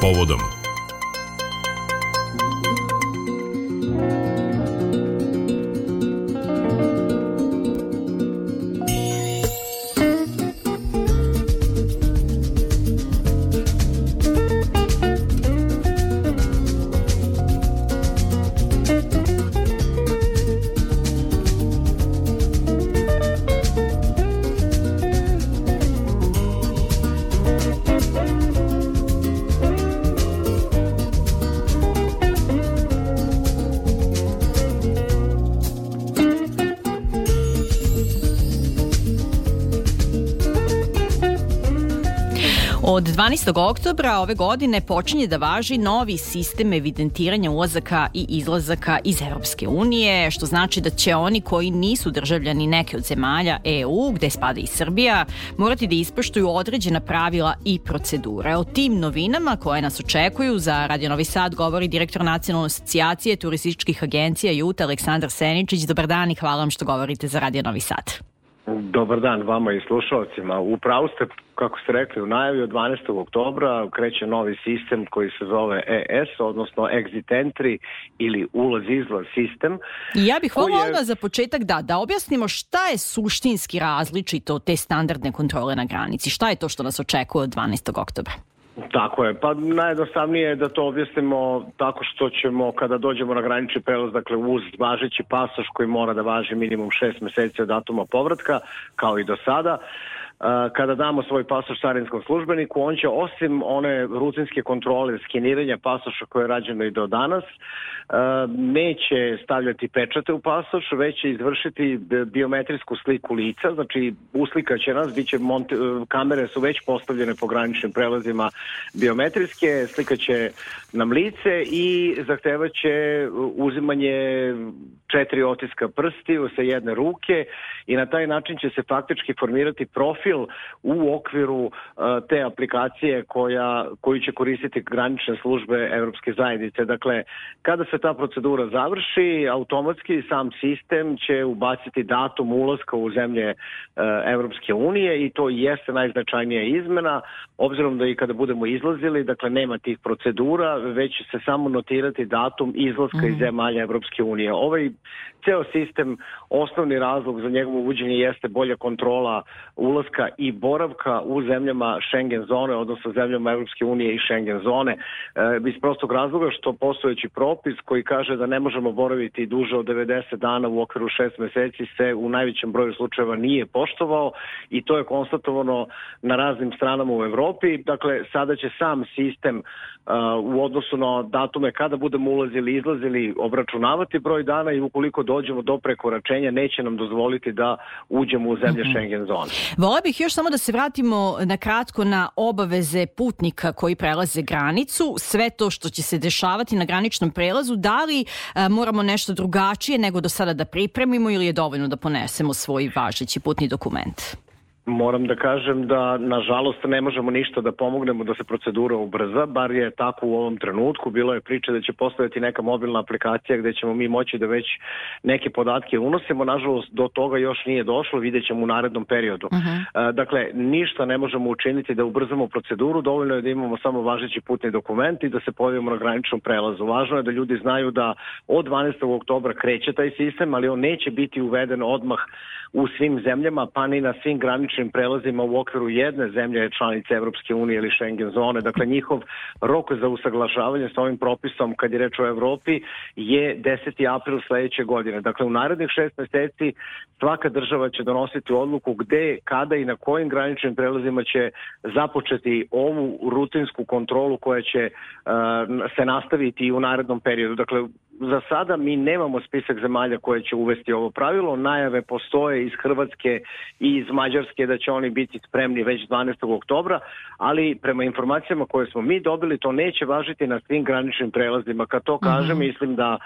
povodom. Od 12. oktobra ove godine počinje da važi novi sistem evidentiranja ulazaka i izlazaka iz Evropske unije, što znači da će oni koji nisu državljani neke od zemalja EU, gde spada i Srbija, morati da ispoštuju određena pravila i procedure. O tim novinama koje nas očekuju za Radio Novi Sad govori direktor Nacionalne asocijacije turističkih agencija JUT Aleksandar Seničić. Dobar dan i hvala vam što govorite za Radio Novi Sad. Dobar dan vama i slušalcima. Upravo ste, kako ste rekli, u najavi od 12. oktobra kreće novi sistem koji se zove ES, odnosno Exit Entry ili ulaz-izlaz sistem. I ja bih volila odmah za početak da objasnimo šta je suštinski različito od te standardne kontrole na granici. Šta je to što nas očekuje od 12. oktobra? Tako je, pa najjednostavnije je da to objasnimo tako što ćemo kada dođemo na granični prelaz, dakle uz važeći pasoš koji mora da važi minimum 6 meseci od datuma povratka, kao i do sada, kada damo svoj pasoš carinskom službeniku, on će osim one rutinske kontrole skeniranja pasoša koje je rađeno i do danas, neće stavljati pečate u pasoš, već će izvršiti biometrijsku sliku lica, znači uslikaće nas, kamere su već postavljene po graničnim prelazima biometrijske, slikaće nam lice i zahtevaće uzimanje 4 otiska prstiju sa jedne ruke i na taj način će se faktički formirati profil u okviru te aplikacije koju će koristiti granične službe Evropske zajednice. Dakle, kada se ta procedura završi, automatski sam sistem će ubaciti datum ulaska u zemlje Evropske unije i to jeste najznačajnija izmena, obzirom da i kada budemo izlazili, dakle nema tih procedura, već će se samo notirati datum izlaska iz zemalja Evropske unije. Ovaj ceo sistem, osnovni razlog za njegovo uvođenje jeste bolja kontrola ulaska i boravka u zemljama Schengen zone, odnosno zemljama Evropske unije i Schengen zone, iz prostog razloga što postojeći propis koji kaže da ne možemo boraviti duže od 90 dana u okviru 6 meseci se u najvećem broju slučajeva nije poštovao i to je konstatovano na raznim stranama u Evropi. Dakle, sada će sam sistem u odnosu na datume kada budemo ulazili i izlazili obračunavati broj dana i ukoliko dođemo do prekoračenja neće nam dozvoliti da uđemo u zemlje Schengen zone. Vola bih još samo da se vratimo na kratko na obaveze putnika koji prelaze granicu, sve to što će se dešavati na graničnom prelazu, da li moramo nešto drugačije nego do sada da pripremimo ili je dovoljno da ponesemo svoj važeći putni dokument? Moram da kažem da, nažalost, ne možemo ništa da pomognemo da se procedura ubrza, bar je tako u ovom trenutku. Bilo je priče da će postojati neka mobilna aplikacija gde ćemo mi moći da već neke podatke unosimo. Nažalost, do toga još nije došlo, vidjet ćemo u narednom periodu. Dakle, ništa ne možemo učiniti da ubrzamo proceduru, dovoljno je da imamo samo važeći putni dokument i da se pojavimo na graničnom prelazu. Važno je da ljudi znaju da od 12. oktobra kreće taj sistem, ali on neće biti uveden odmah u svim zemljama, pa ni na svim graničnim prelazima u okviru jedne zemlje članice Evropske unije ili Schengen zone. Dakle, njihov rok za usaglašavanje sa ovim propisom, kad je reč o Evropi, je 10. april sledeće godine. Dakle, u narednih 6 meseci svaka država će donositi odluku gde, kada i na kojim graničnim prelazima će započeti ovu rutinsku kontrolu koja će se nastaviti i u narednom periodu. Dakle, za sada mi nemamo spisak zemalja koje će uvesti ovo pravilo. Najave postoje iz Hrvatske i iz Mađarske da će oni biti spremni već 12. oktobra, ali prema informacijama koje smo mi dobili, to neće važiti na svim graničnim prelazima. Kad to kažem, mislim da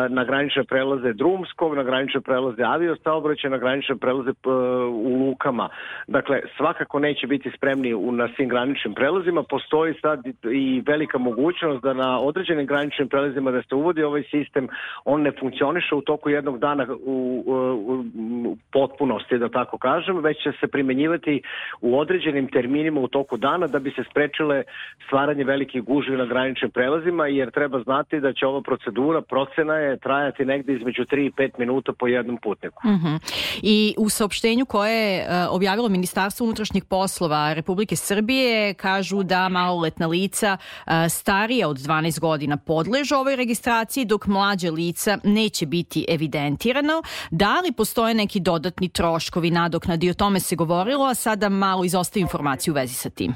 na granične prelaze drumskog, na granične prelaze aviosaobraćaja, na granične prelaze u lukama. Dakle, svakako neće biti spremni na svim graničnim prelazima. Postoji sad i velika mogućnost da na određenim graničnim prelazima da se uvodi ovaj sistem, on ne funkcioniše u toku jednog dana u potpunosti, da tako kažem, već će se primenjivati u određenim terminima u toku dana da bi se sprečile stvaranje velikih gužvi na graničnim prelazima, jer treba znati da će ova procena je trajati negde između 3 i 5 minuta po jednom putniku. I u saopštenju koje je objavilo Ministarstvo unutrašnjih poslova Republike Srbije kažu da maloletna lica starija od 12 godina podležu ovoj registraciji, dok mlađe lica neće biti evidentirano. Da li postoje neki dodatni troškovi, nadoknadi? O tome se govorilo, a sada malo izostaju informacije u vezi sa tim.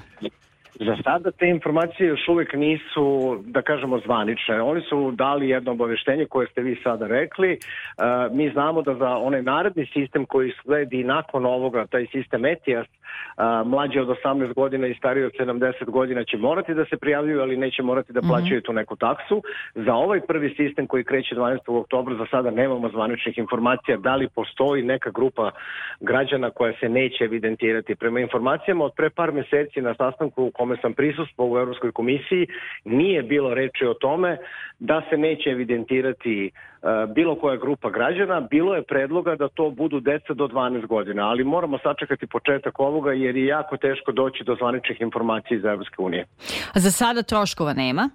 Za sada te informacije još uvijek nisu, da kažemo, zvanične. Oni su dali jedno obaveštenje koje ste vi sada rekli. Mi znamo da za onaj naredni sistem koji sledi nakon ovoga, taj sistem ETIAS, mlađe od 18 godina i stariji od 70 godina će morati da se prijavljuju, ali neće morati da plaćaju tu neku taksu. Za ovaj prvi sistem koji kreće 12. oktobra za sada nemamo zvaničnih informacija da li postoji neka grupa građana koja se neće evidentirati. Prema informacijama od pre par meseci na sastanku u kome sam prisustvovao u Evropskoj komisiji, nije bilo reči o tome da se neće evidentirati bilo koja grupa građana. Bilo je predloga da to budu deca do 12 godina, ali moramo sačekati početak ovoga jer je jako teško doći do zvaničnih informacija iz Evropske unije. A za sada troškova nema?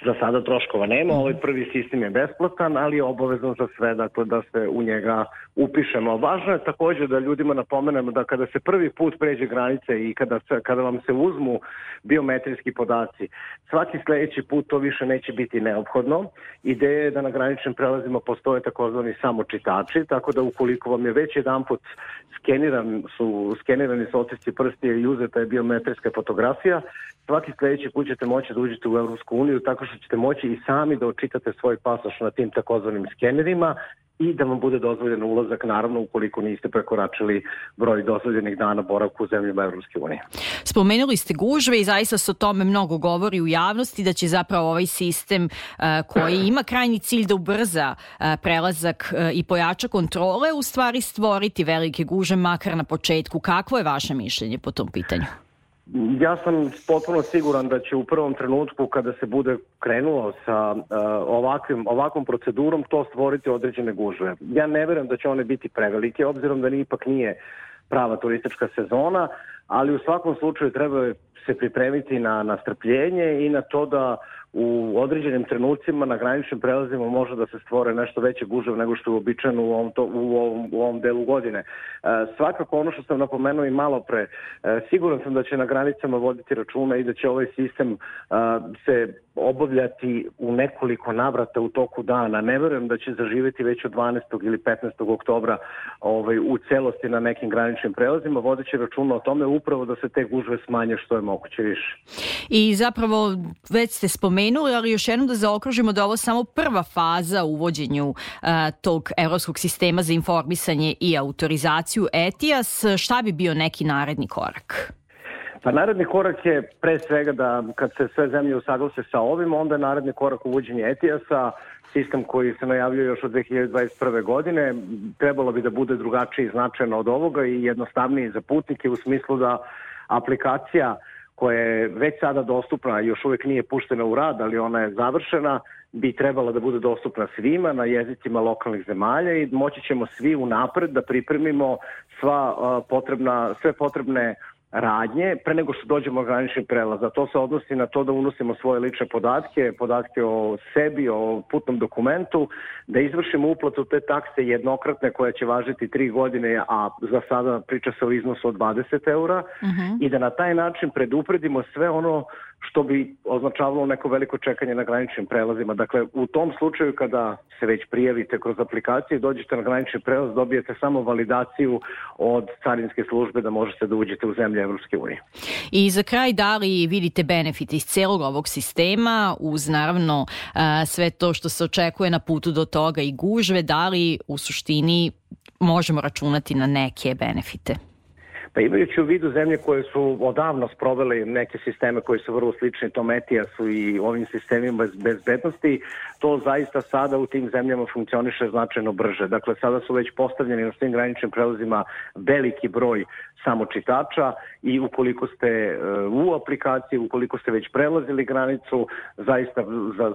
Za sada troškova nema, ovaj prvi sistem je besplatan, ali je obavezan za sve, dakle, da se u njega upišemo. Važno je također da ljudima napomenemo da kada se prvi put pređe granice i kada vam se uzmu biometrijski podaci, svaki sljedeći put to više neće biti neophodno. Ideja je da na graničnim prelazima postoje takozvani samočitači, tako da ukoliko vam je već jedanput skenirani su otisci prstija i uzeta je biometrijska fotografija, svaki sljedeći put ćete moći da uđete u Evropsku uniju tako što ćete moći i sami da očitate svoj pasoš na tim takozvanim skenerima i da vam bude dozvoljen ulazak, naravno ukoliko niste prekoračili broj dozvoljenih dana boravka u zemljama Evropske unije. Spomenuli ste gužve i zaista se o tome mnogo govori u javnosti da će zapravo ovaj sistem koji ima krajnji cilj da ubrza prelazak i pojača kontrole u stvari stvoriti velike gužve makar na početku. Kakvo je vaše mišljenje po tom pitanju? Ja sam potpuno siguran da će u prvom trenutku kada se bude krenulo sa ovakvom procedurom to stvoriti određene gužve. Ja ne verujem da će one biti prevelike, obzirom da ipak nije prava turistička sezona, ali u svakom slučaju treba se pripremiti na strpljenje i na to da u određenim trenucima na graničnim prelazima može da se stvore nešto veće gužve nego što je uobičajeno u ovom delu godine. Svakako ono što sam napomenuo i malo pre, siguran sam da će na granicama voditi računa i da će ovaj sistem se obavljati u nekoliko navrata u toku dana. Ne verujem da će zaživjeti već od 12. ili 15. oktobra u celosti na nekim graničnim prelazima, vodeći računa o tome upravo da se te gužve smanje što je moguće više. I zapravo već ste spomenuli, ali još jednom da zaokružimo da ovo samo prva faza u uvođenju tog evropskog sistema za informisanje i autorizaciju ETIAS. Šta bi bio neki naredni korak? Pa naredni korak je pre svega da kad se sve zemlje usaglase sa ovim, onda je naredni korak uvođenje ETIAS-a, sistem koji se najavljuje još od 2021. godine. Trebalo bi da bude drugačiji značajno od ovoga i jednostavniji za putnike u smislu da aplikacija koja je već sada dostupna, još uvijek nije puštena u rad, ali ona je završena, bi trebala da bude dostupna svima na jezicima lokalnih zemalja i moći ćemo svi unapred da pripremimo sve potrebne radnje pre nego što dođemo na granični prelaz. A to se odnosi na to da unosimo svoje lične podatke o sebi, o putnom dokumentu, da izvršimo uplatu te takse jednokratne koja će važiti 3 godine, a za sada priča se o iznosu od 20 eura i da na taj način predupredimo sve ono što bi označavalo neko veliko čekanje na graničnim prelazima. Dakle, u tom slučaju kada se već prijavite kroz aplikaciju i dođete na granični prelaz, dobijete samo validaciju od carinske službe da možete da uđete u zemlje Evropske unije. I za kraj, da li vidite benefit iz celog ovog sistema, uz naravno sve to što se očekuje na putu do toga i gužve, da li u suštini možemo računati na neke benefite? Pa imajući u vidu zemlje koje su odavno sproveli neke sisteme koji su vrlo slični tom ETIAS-u i ovim sistemima bezbednosti, to zaista sada u tim zemljama funkcioniše značajno brže. Dakle, sada su već postavljeni na svim graničnim prelazima veliki broj samočitača i ukoliko ste u aplikaciji, ukoliko ste već prelazili granicu, zaista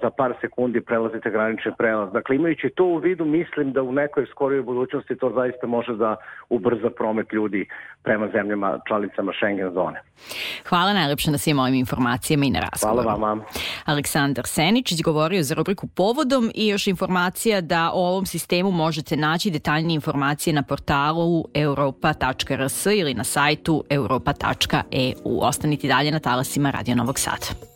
za par sekundi prelazite granični prelaz. Dakle, imajući to u vidu, mislim da u nekoj skorijoj budućnosti to zaista može da ubrza promet ljudi prema zemljama članicama Schengen zone. Hvala najlepše na svim ovim informacijama i na razgovoru. Hvala vama. Aleksandar Seničić govorio za rubriku Povodom i još informacija da o ovom sistemu možete naći detaljnije informacije na portalu europa.rs ili na sajtu europa.eu. Ostanite dalje na talasima Radio Novog Sada.